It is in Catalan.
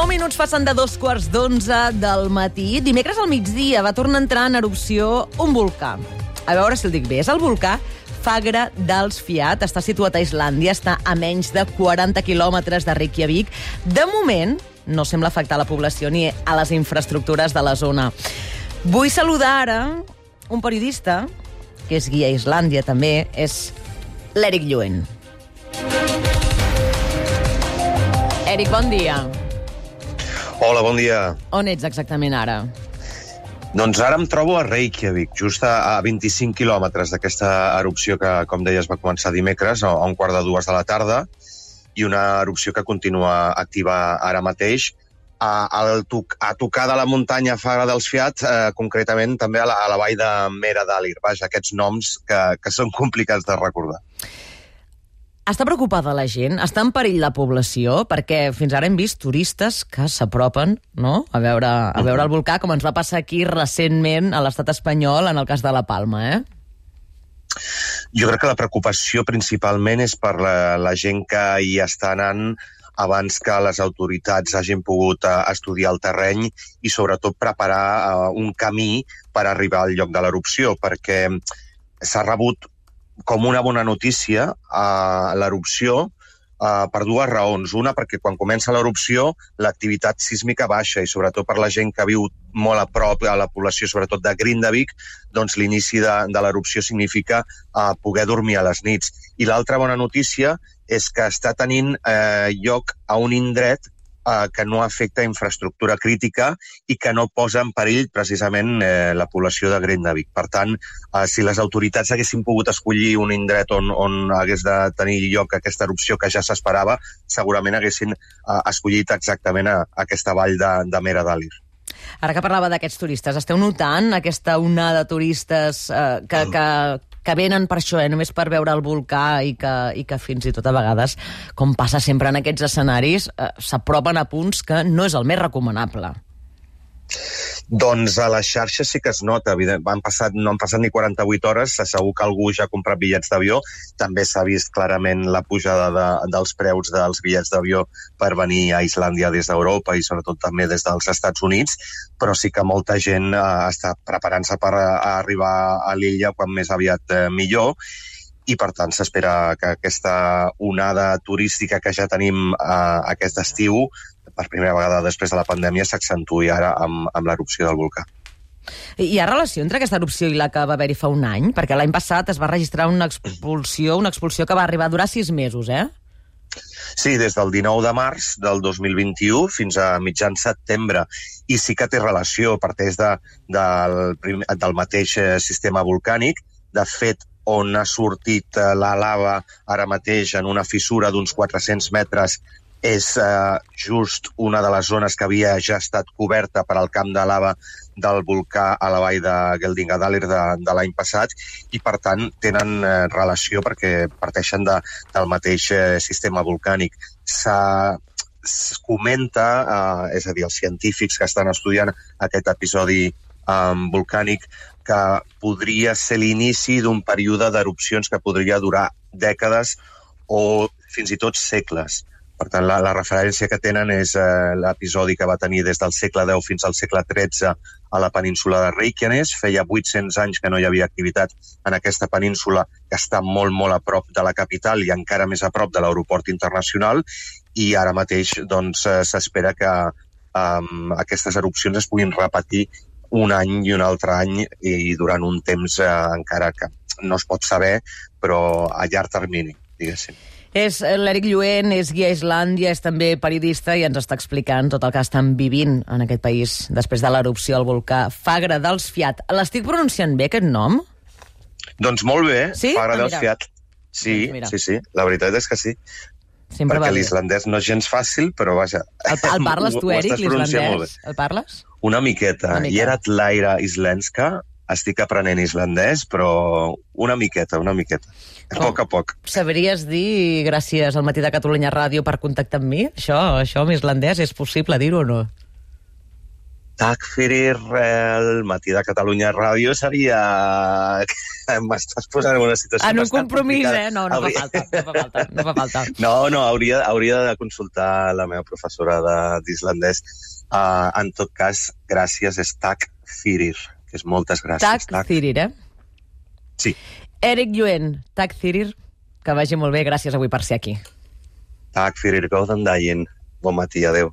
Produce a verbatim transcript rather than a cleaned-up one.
minuts passen de dos quarts d'onze del matí. Dimecres al migdia va tornar a entrar en erupció un volcà. A veure si el dic bé. És el volcà Fagre dels Fiat. Està situat a Islàndia, està a menys de quaranta quilòmetres de Reykjavik. De moment, no sembla afectar la població ni a les infraestructures de la zona. Vull saludar ara un periodista, que és guia a Islàndia també, és l'Eric Lluent. Eric, bon dia. Hola, bon dia. On ets exactament ara? Doncs ara em trobo a Reykjavik, just a vint-i-cinc quilòmetres d'aquesta erupció que, com deies, va començar dimecres a un quart de dues de la tarda, i una erupció que continua activa ara mateix a, a, a tocar de la muntanya Fagre dels Fiat, eh, concretament també a la, a la vall de Mera Dalir. Vaja, aquests noms que, que són complicats de recordar. Està preocupada la gent? Està en perill la població? Perquè fins ara hem vist turistes que s'apropen, no?, a veure, a veure el volcà, com ens va passar aquí recentment a l'estat espanyol en el cas de la Palma, eh? Jo crec que la preocupació principalment és per la, la gent que hi està anant abans que les autoritats hagin pogut uh, estudiar el terreny i sobretot preparar uh, un camí per arribar al lloc de l'erupció, perquè s'ha rebut com una bona notícia a l'erupció uh, per dues raons. Una, perquè quan comença l'erupció l'activitat sísmica baixa i sobretot per la gent que viu molt a prop a la població, sobretot de Grindavik, doncs l'inici de, de l'erupció significa uh, poder dormir a les nits. I l'altra bona notícia és que està tenint eh, lloc a un indret eh, que no afecta infraestructura crítica i que no posa en perill precisament eh, la població de Grindavik. Per tant, eh, si les autoritats haguessin pogut escollir un indret on, on hagués de tenir lloc aquesta erupció que ja s'esperava, segurament haguessin eh, escollit exactament a, a aquesta vall de, de Mera Dalir. Ara que parlava d'aquests turistes, esteu notant aquesta onada de turistes eh, que, que, que venen per això, eh, només per veure el volcà i que, i que fins i tot a vegades, com passa sempre en aquests escenaris, eh, s'apropen a punts que no és el més recomanable? Doncs a les xarxes sí que es nota. Han passat, no han passat ni quaranta-vuit hores, segur que algú ja ha comprat bitllets d'avió. També s'ha vist clarament la pujada de, dels preus dels bitllets d'avió per venir a Islàndia des d'Europa i sobretot també des dels Estats Units, però sí que molta gent eh, està preparant-se per a, a arribar a l'illa quan més aviat eh, millor, i per tant s'espera que aquesta onada turística que ja tenim eh, aquest estiu, per primera vegada després de la pandèmia, s'accentuï ara amb, amb l'erupció del volcà. Hi ha relació entre aquesta erupció i la que va haver-hi fa un any? Perquè l'any passat es va registrar una expulsió, una expulsió que va arribar a durar sis mesos, eh? Sí, des del dinou de març del dos mil vint-i-u fins a mitjan setembre. I sí que té relació, parteix de, del, del mateix sistema volcànic. De fet, on ha sortit la lava ara mateix en una fissura d'uns quatre-cents metres és eh, just una de les zones que havia ja estat coberta per al camp de lava del volcà a la vall de Geldingadalir de, de l'any passat, i per tant tenen eh, relació perquè parteixen de, del mateix eh, sistema volcànic. S'ha, es comenta, eh, és a dir, els científics que estan estudiant aquest episodi eh, volcànic, que podria ser l'inici d'un període d'erupcions que podria durar dècades o fins i tot segles. Per tant, la, la referència que tenen és eh, l'episodi que va tenir des del segle deu fins al segle tretze a la península de Reykjanes. Feia vuit-cents anys que no hi havia activitat en aquesta península, que està molt, molt a prop de la capital i encara més a prop de l'aeroport internacional, i ara mateix doncs, s'espera que um, aquestes erupcions es puguin repetir un any i un altre any i durant un temps eh, encara que no es pot saber, però a llarg termini, diguéssim. És l'Eric Lluent, és guia a Islàndia, és també periodista i ens està explicant tot el que estan vivint en aquest país després de l'erupció del volcà Fagre dels Fiat. L'estic pronunciant bé, aquest nom? Doncs molt bé, sí? Fagre ah, dels Fiat. Sí, doncs sí, sí, la veritat és que sí. Sempre perquè l'islandès no és gens fàcil, però vaja... El, el parles tu, Eric, l'islandès? El parles? Una miqueta. Una miqueta. I era Tlaira Islenska. Estic aprenent islandès, però una miqueta, una miqueta. A poc a poc. Sabries dir, gràcies al Matí de Catalunya Ràdio, per contactar amb mi? Això, això amb islandès, és possible dir-ho o no? Tack fyrir el matí de Catalunya Ràdio seria... M'estàs posant en una situació en un bastant compromís, complicada. eh? No, no Hauria- fa falta, no fa falta. No, fa falta. No, no, hauria, hauria de consultar la meva professora de- d'islandès. Uh, en tot cas, gràcies és tack fyrir, que és moltes gràcies. Tack Thirir, eh? Sí. Erik Lluent, Tack Thirir, que vagi molt bé, gràcies avui per ser aquí. Tack fyrir, góðan daginn. Bon matí, adeu.